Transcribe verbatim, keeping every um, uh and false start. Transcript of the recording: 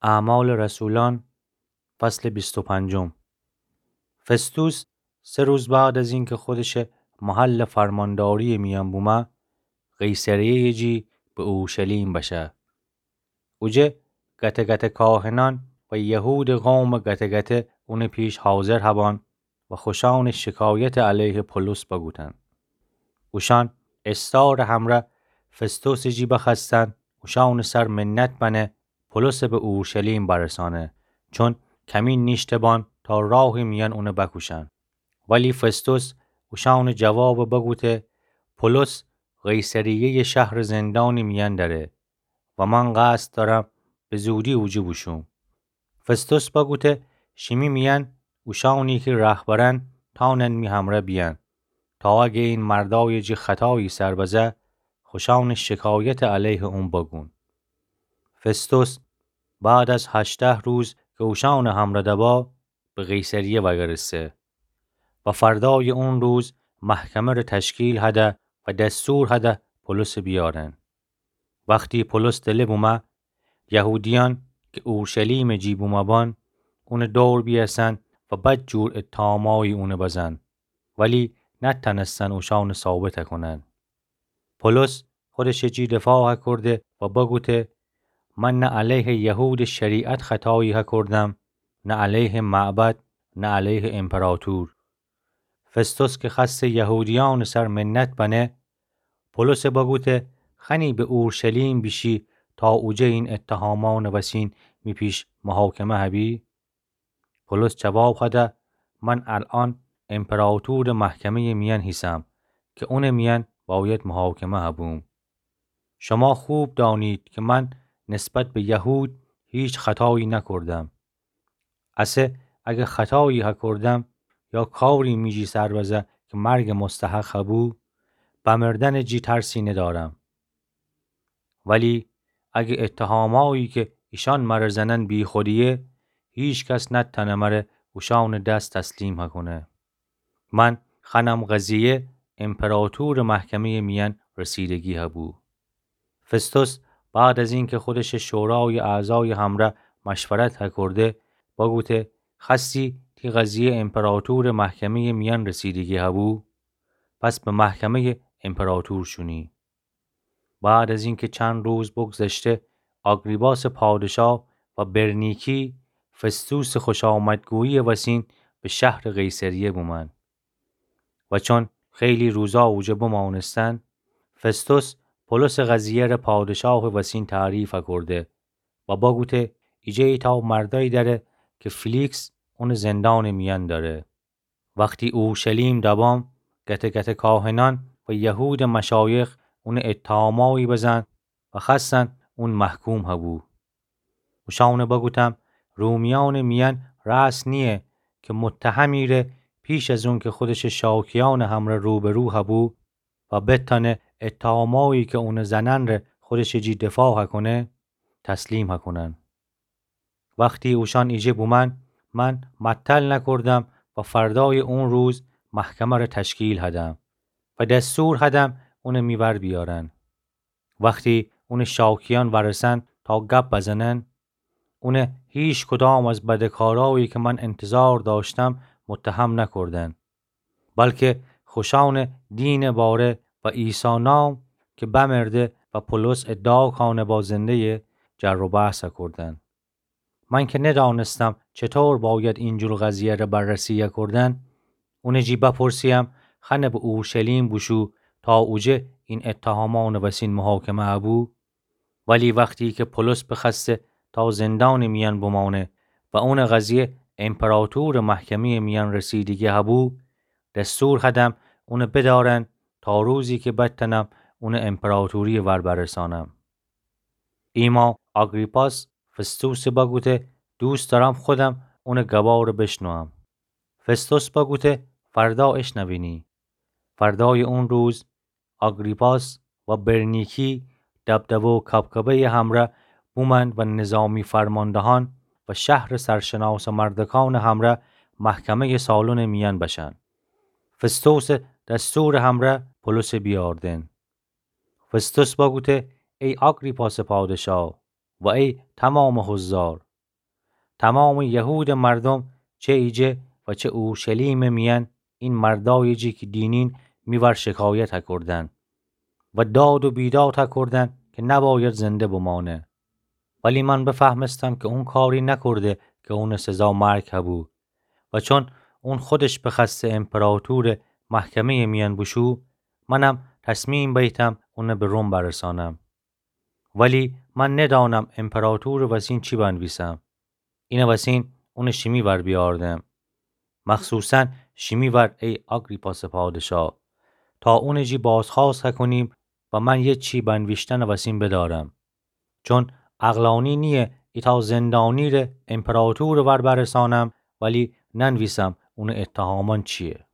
اعمال رسولان، فصل بیست و پنجم. فستوس سه روز بعد از اینکه خودش محل فرمانداری میان بومه، قیصریه جی به اورشلیم بشه. اوجه گته گته کاهنان و یهود قوم گته گته اون پیش حاضر هبان و خوشان شکایت علیه پولس بگوتن. اوشان استار همره فستوس جی بخوأستن اوشان سر منت بنه پولس به اورشلیم برسانه، چون کمین نیشته بان تا راه میان اون بکوشن. ولی فستوس اوشان جواب بگوته: پولس قیصریه شهر زندان میان دره و من قصد دارم به زودی اوجه بوشوم. فستوس بگوته: شیمی میان اوشانی که رهبرن تانن می همره بیان، تا اگه این مردای جی خطایی سر بزه، خوشان شکایت علیه اون بگون. فستوس بعد از هشته روز که اوشان همره دبا، به قیصریه وگرسه و فردای اون روز محکمه ره تشکیل هده و دستور هده پولس بیارن. وختی پولس دله بومه، یهودیان که اورشلیم جی بومه بان، اون دور بیأسن و بد جور اتهامایی اون بزن، ولی نتنستن اوشان ثابت کنن. پولس خودش جی دفاع کرده و بگوته: من نه علیه یهود شریعت خطایی هکردم، نه علیه معبد، نه علیه امپراتور. فستوس که خسته یهودیان سر منت بنه، پولس بگوته: خنی به اورشلیم بیشی تا اوجه این اتهامان وسین می پیش محاکمه هبی؟ پولس جواب هده: من الان امپراتور محکمه میان هیسم که اون میان باید محاکمه هبوم. شما خوب دانید که من نسبت به یهود هیچ خطایی نکردم. اسه اگه خطایی هکردم یا کاری می جی سر بزه که مرگ مستحق هبو، بمردن جی ترسی ندارم. ولی اگه اتهامایی که ایشان مره زنن بیخودیه، هیچ کس نتنه مره اوشان دس تسلیم هکنه. من خنم قضیه امپراتور محکمه میان رسیدگی هبو. فستوس بعد از اینکه خودش شورای اعضای همره مشورت هکرده، بگوته: خستی تی قضیه امپراتور محکمه میان رسیدگی هبو؟ پس به محکمه امپراتور شونی. بعد از اینکه چند روز بگذشته، آگریپاس پادشاه و برنیکی فستوس خوشامدگویی وسین به شهر قیصریه بومن. و چون خیلی روزا اوجه بمانستن، فستوس پولس قضیه ره پادشاه وسین تعریف کرده و بگوته: ایجه ایتا مردایی داره که فلیکس اون زندان میان داره. وختی اورشلیم دبام، گته گته کاهنان و یهود مشایخ اون اتهامایی بزن و خستن اون محکوم هبو. اوشان بگوتم: رومیان میان رأس نیه که متهمی ره پیش از اون که خودش شاکیان همره روبرو هبو و بتانه اتهامایی که اون زنن ره خودش جی دفاع هکنه، تسلیم هکنن. وختی اوشان ایجه بومن، من معطل نکردم و فردای اون روز محکمه ره تشکیل هدم و دستور هدم اون می ور بیارن. وختی اون شاکیان ورسن تا گپ بزنن، اون هیچ کدام از بدکارایی که من انتظار داشتم متهم نکردن، بلکه خوشان دین باره و عیسی نام که بمرده و پولس ادعا کانه با زنده‌یه، جر و بحث کردن. من که ندانستم چطور باید اینجور قضیه ره بررسی کردن، اون جی بپرسیم خنه به اورشلیم بوشو تا اوجه این اتهامان وسین محاکمه هبو؟ ولی وختی که پولس بخسته تا زندان میان بمانه و اون قضیه امپراتور محکمه میان رسیدگی هبو، دستور هدم اون بدارن تا روزی که بتنم اون امپراتوری ور برسانم. ایما آگریپاس فستوس بگوته: دوست دارم خودم اون گبار بشنوم. فستوس بگوته: فردا اشنوینی. فردای اون روز آگریپاس و برنیکی دبدبه و کبکبه‌ی همره بومن و نظامی فرماندهان و شهر سرشناس مردکان همره محکمه‌ی سالن میان بشن. فستوس دستور همره پولس بیاردن. فستوس بگوته: ای آگریپاس پادشاه و ای تمام حضار، تومامٚ یهودٚ مردوم، چه ایجه و چه اورشلیمٚ میأن، این مردأیٚ جی کی دینین می ور شکایت کودن و داد و بیداد کودن کی نبأید زنده بمأنه. ولی من بفهمستم کی اون کاری نکورده کی اونٚ سزا مرگ هبو. و چون اون خودش بخوأسته امپراطورٚ محکمه‌یٚ میأن بوشو، منم تصمیم بیتم اون به روم برسانم. ولی من ندأنم امپراطورٚ وسین چی بنویسم. اینٚ وسین اونٚ شیمی ور بیأوردم. مخصوصاً شیمی ور، ای آگریپاسٚ پادشا، تا اونٚ جی بازخوأست کونیم و من یه چی بنویشتنٚ وسین بدأرم. چون عقلأنی نییه ایتأ زندأنی ره امپراطورٚ ور برسانم، ولی ننویسم اونٚ اتهامأن چییه.